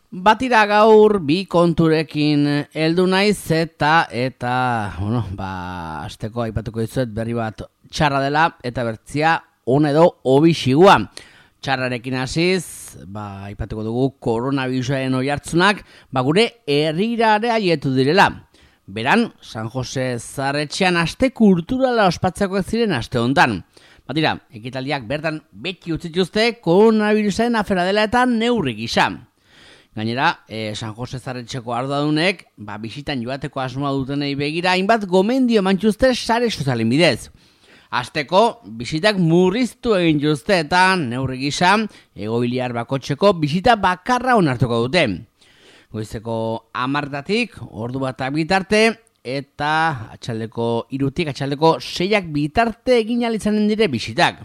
Batira gaur bi konturekin heldu naiz eta asteko aipatuko dizuet berri bat txarra dela eta bertzia ona edo hobixigua. Txarrarekin hasiz, aipatuko dugu koronavirusaren oihartzunak, gure herrirara aietu direla. Beran, San Jose Zarretxean aste kulturala ospatzekoak ziren aste hontan. Batira, ekitaldiak bertan beti utzituzte koronavirusaren afera dela eta neurri gisa. Gainera, San Jose Zarretxeko arduradunek, bisitan joateko asmoa dutenei begira, hainbat gomendio emantxuzte sare sozialen bidez. Hasteko, bisitak murriztu egin juzte eta neurri gisa, egoiliar bakotxeko bisita bakarra onartuko dute. Goizeko 10:00 ordu bat bitarte, eta atxaldeko 3:00 atxaldeko 6:00 bitarte egin alizanen dire bisitak.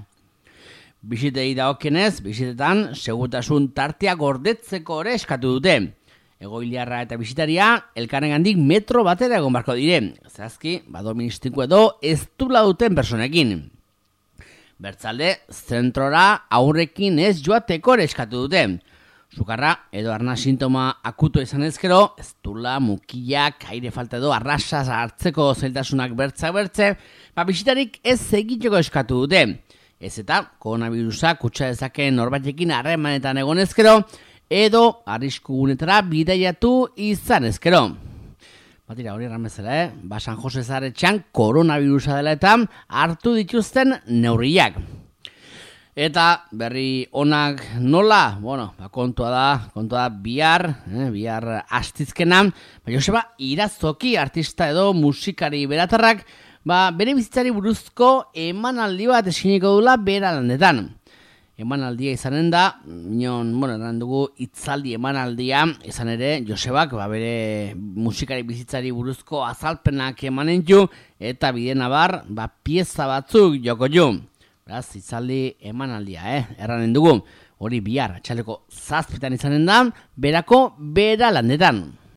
Bisitei dagokienez, bisitetan segurtasun tartea gordetzeko ere eskatu dute. Egoiliarra eta bisitaria elkarrengandik metro batera egon barko dire. Zehazki, doministiko edo ez dula duten personekin. Bertzalde, zentrora aurrekin ez joateko ere eskatu dute. Sukarra edo arna sintoma akuto izan ezkero, ez dula mukiak, aire falta edo arrasaz hartzeko zailtasunak bertze, bisitarik ez egiteko eskatu dute. Ez eta koronavirusa kutsa dezakeen norbaitekin harremanetan egon ezkero, edo arrisku gunetara bidaiatu izan ezkero. Batira, hori erramezela, San Jose Zarretxean koronavirusa dela eta hartu dituzten neurriak. Eta berri onak nola? Kontua da bihar astizkena, Joseba Irazoki artista edo musikari beratarrak, bere bizitzari buruzko emanaldi bat eskiniko dula bera landetan. Emanaldia izanen da, eran dugu hitzaldi emanaldia, izan ere, Josebak, bere musikari bizitzari buruzko azalpenak emanen ju, eta bidena pieza batzuk joko ju. Beraz, hitzaldi emanaldia, erranen dugu, hori bihar, atxaleko 7:00 izanen da, berako bera landetan.